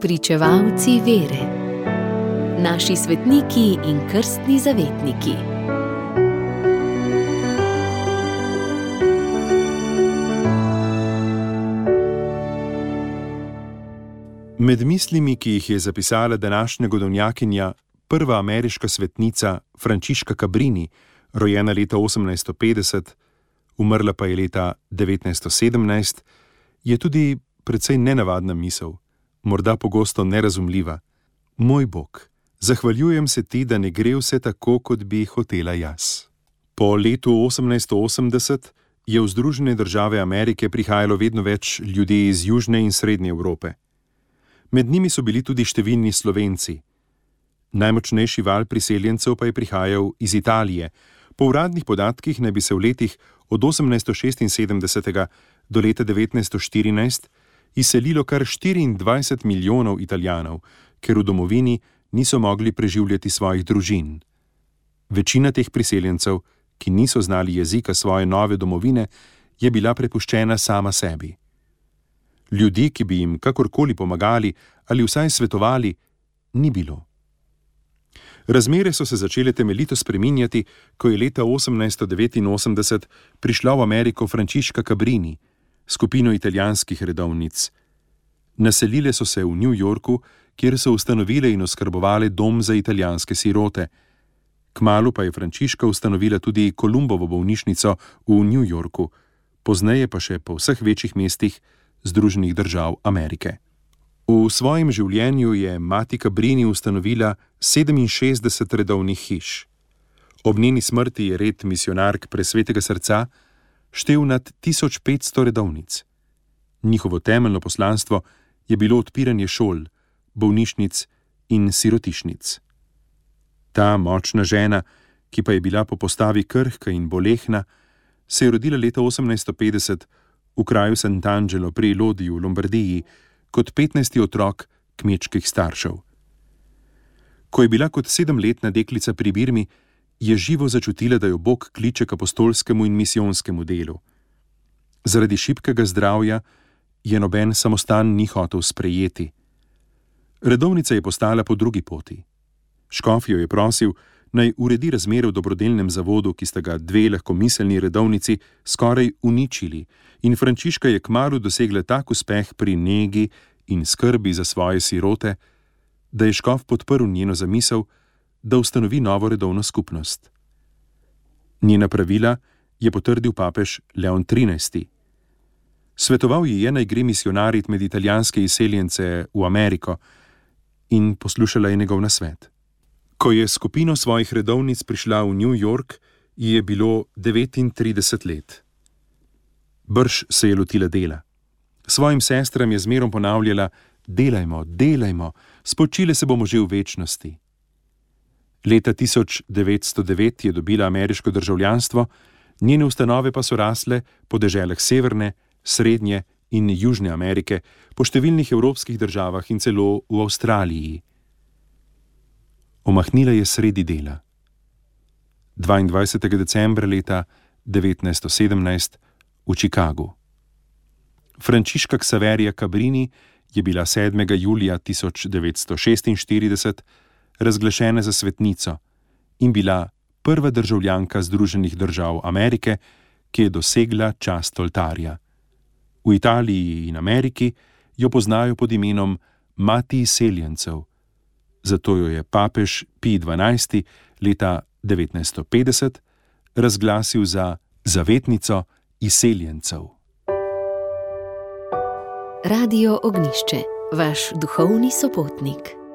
Pričevalci vere. Naši svetniki in krstni zavetniki. Med mislimi, ki jih je zapisala današnja godovnjakinja, prva ameriška svetnica Frančiška Cabrini, rojena leta 1850, umrla pa je leta 1917, je tudi precej nenavadna misel, morda pogosto nerazumljiva. Moj Bog, zahvaljujem se ti, da ne gre vse tako, kot bi hotela jaz. Po letu 1880 je v Združene države Amerike prihajalo vedno več ljudi iz Južne in Srednje Evrope. Med njimi so bili tudi številni Slovenci. Najmočnejši val priseljencev pa je prihajal iz Italije. Po uradnih podatkih naj bi se v letih od 1876 do leta 1914 izselilo kar 24 milijonov Italijanov, ker v domovini niso mogli preživljati svojih družin. Večina teh priseljencev, ki niso znali jezika svoje nove domovine, je bila prepuščena sama sebi. Ljudi, ki bi jim kakorkoli pomagali ali vsaj svetovali, ni bilo. Razmere so se začele temeljito spreminjati, ko je leta 1889 prišla v Ameriko Frančiška Cabrini, skupino italijanskih redovnic. Naselile so se v New Yorku, kjer so ustanovile in oskrbovale dom za italijanske sirote. Kmalu pa je Frančiška ustanovila tudi Kolumbovo bolnišnico v New Yorku, pozneje pa še po vseh večjih mestih Združenih držav Amerike. V svojem življenju je mati Cabrini ustanovila 67 redovnih hiš. Ob njeni smrti je red misionark Presvetega srca štel nad 1500 redovnic. Njihovo temeljno poslanstvo je bilo odpiranje šol, bolnišnic in sirotišnic. Ta močna žena, ki pa je bila po postavi krhka in bolehna, se je rodila leta 1850 v kraju Sant'Angelo pri Lodi v Lombardiji kot 15. otrok kmečkih staršev. Ko je bila kot 7-letna deklica pri Birmi, je živo začutila, da jo Bog kliče k apostolskemu in misijonskemu delu. Zaradi šibkega zdravja je noben samostan ni hotel sprejeti. Redovnica je postala po drugi poti. Škof jo je prosil, naj uredi razmere v dobrodelnem zavodu, ki sta ga dve lahkomiselni redovnici skoraj uničili, in Frančiška je kmalu dosegla tak uspeh pri negi in skrbi za svoje sirote, da je škof podprl njeno zamisel, da ustanovi novo redovno skupnost. Njena pravila je potrdil papež Leon XIII. Svetoval ji je, naj gre misionarit med italijanske izseljence v Ameriko, in poslušala je njegov nasvet. Ko je skupino svojih redovnic prišla v New York, ji je bilo 39 let. Brž se je lotila dela. Svojim sestram je zmerom ponavljala: delajmo, delajmo, spočile se bomo že v večnosti. Leta 1909 je dobila ameriško državljanstvo, njene ustanove pa so rasle po deželah Severne, Srednje in Južne Amerike, po številnih evropskih državah in celo v Avstraliji. Omahnila je sredi dela. 22. decembra leta 1917 v Chicagu. Frančiška Xaverija Cabrini je bila 7. julija 1946 razglašena za svetnico in bila prva državljanka Združenih držav Amerike, ki je dosegla čast oltarja. V Italiji in Ameriki jo poznajo pod imenom Mati izseljencev, zato jo je papež Pij XII leta 1950 razglasil za zavetnico izseljencev. Radio Ognjišče, vaš duhovni sopotnik.